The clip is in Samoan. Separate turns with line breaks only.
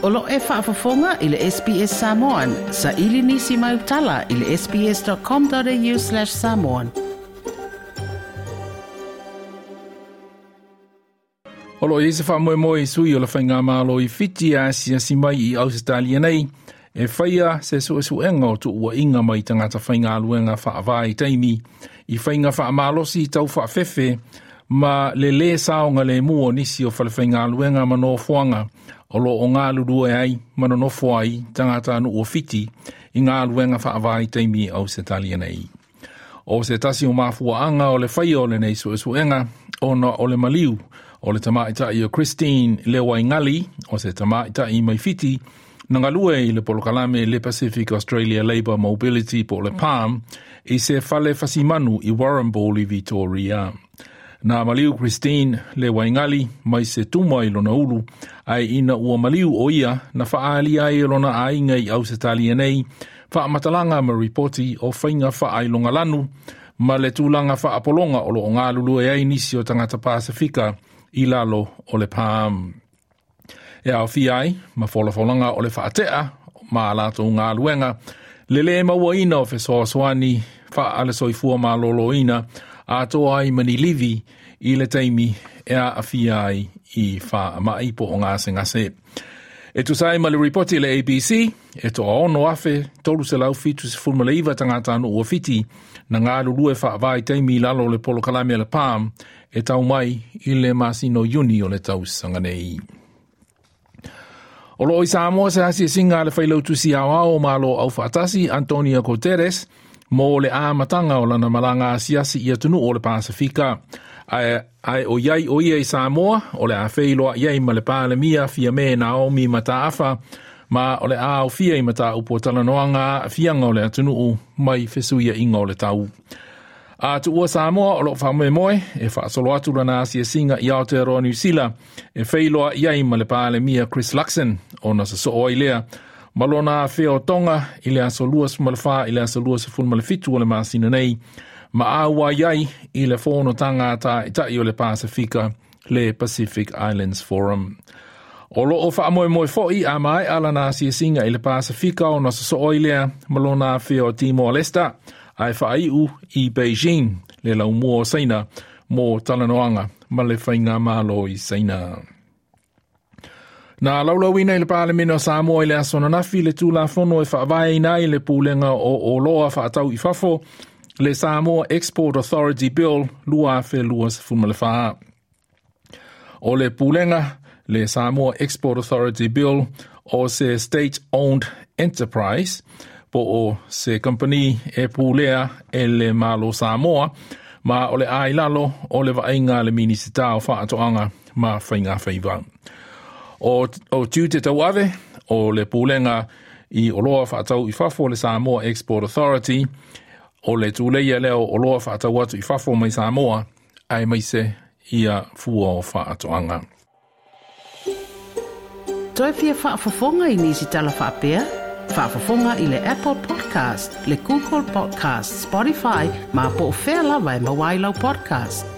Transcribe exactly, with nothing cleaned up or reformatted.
O lo e faafofoga i le S B S Samoan, sa ili nisi mai utala i le sbs.com.au slash samoan.
O lo i se faamoemoe i sui o le faigamalo i Fiti a asiasi mai i Ausetalia nei, e whaia se suesuega o tuuaiga mai tagata faigaluega faavaitaimi i faiga faamalosi tau faafefe ma le lē saoga lemu o nisi o falefaigaluega ma nofoaga o lo o galulue ai ma nonofo ai tagata nuu o Fiti i galuega faavaitaimi i Ausetalia nei. O se tasi o mafuaaga o le faia o lenei suesuega ona o le maliu o le tamaitai o Christine Lewaingali o se tamaitai mai Fiti na galue i le polokalame le Pacific Australia Labour Mobility po le PALM i se fale fasimanu i Warrnambool i Victoria. Na maliu Christine Lewaingali mai se tuma i lona ulu, ai ina ua maliu o ia na faalia ai lona aiga i Ausetalia nei, faamatalaga ma ripoti o faiga faailogalanu ma le tulaga faapologa o loo galulue ai nisi o tagata Pasifika i lalo o le PALM. E aofia ai ma folafolaga o le faatea ma a latou galuega, le lē mauaina o fesoasoani faale-soifua malōlōina atoa ai ma ni livi i le taimi e aafia ai i faamai po o gasegase. E tusa ai ma le ripoti le A B C, e toaono afe tolu selau fitu sefulu ma le iva tagata nuu o Fiti na galulue faavaitaimi i lalo o le polokalame a le PALM e tau mai i le masina o Iuni o le tausaga nei. O loo i Samoa se asiasiga a le failautusi aoao o Malo Aufaatasi Antonio Guterres mo le amataga o lana malaga asiasi i atunuu o le Pasifika. Ae, ae o iai o ia i Samoa, o le a feiloai ai ma le Palemia Fiame Naomi Mataafa, ma o le a aofia i mataupu o talanoaga aafiaga o le atunuu mai fesuiaiga o le tau. A tuua Samoa o loo faamoemoe e faasolo atu lana asiasiga i Aotearoa Niu Sila e feiloai ai ma le Palemia Chris Luxon ona sosoo ai lea ma lona afea o Tonga i le aso luasefulu ma le fa i le aso luasefulu ma le fitu o le masina nei, ma auai ai i le fonotaga a taitai o le Pasifika le Pacific Islands Forum. O loo faamoemoe fo'i a maea lana asiasiga i le Pasifika ona sosoo ai lea ma lona afea o Timor-Leste ae faaiu i Beijing le laumua o Saina mo talanoaga ma le faigamalo i Saina. Na laulauina i le Palemene o Samoa i le aso ananafi le Tulafono e faavaeina ai le pulega o oloa faatau i fafo le Samoa Export Authority Bill lua afe luasefulu ma le fa. O le pulega le Samoa Export Authority Bill o se state-owned enterprise po o se company e pulea e le Malo Samoa ma o le ai lalo o le vaaiga a le Minisita o Faatoaga ma Faiga Faiva. O, o tiute tauave o le pulega i oloa faatau i fafo le Samoa Export Authority o le tuleia lea o oloa faatau atu i fafo mai Samoa aemaise ia fua o faatoaga.
Toe fia faafofoga i nisi tala faapea? Faafofoga i le Apple Podcast, le Google Podcast, Spotify, ma po o fea lava e maua ai lau podcast.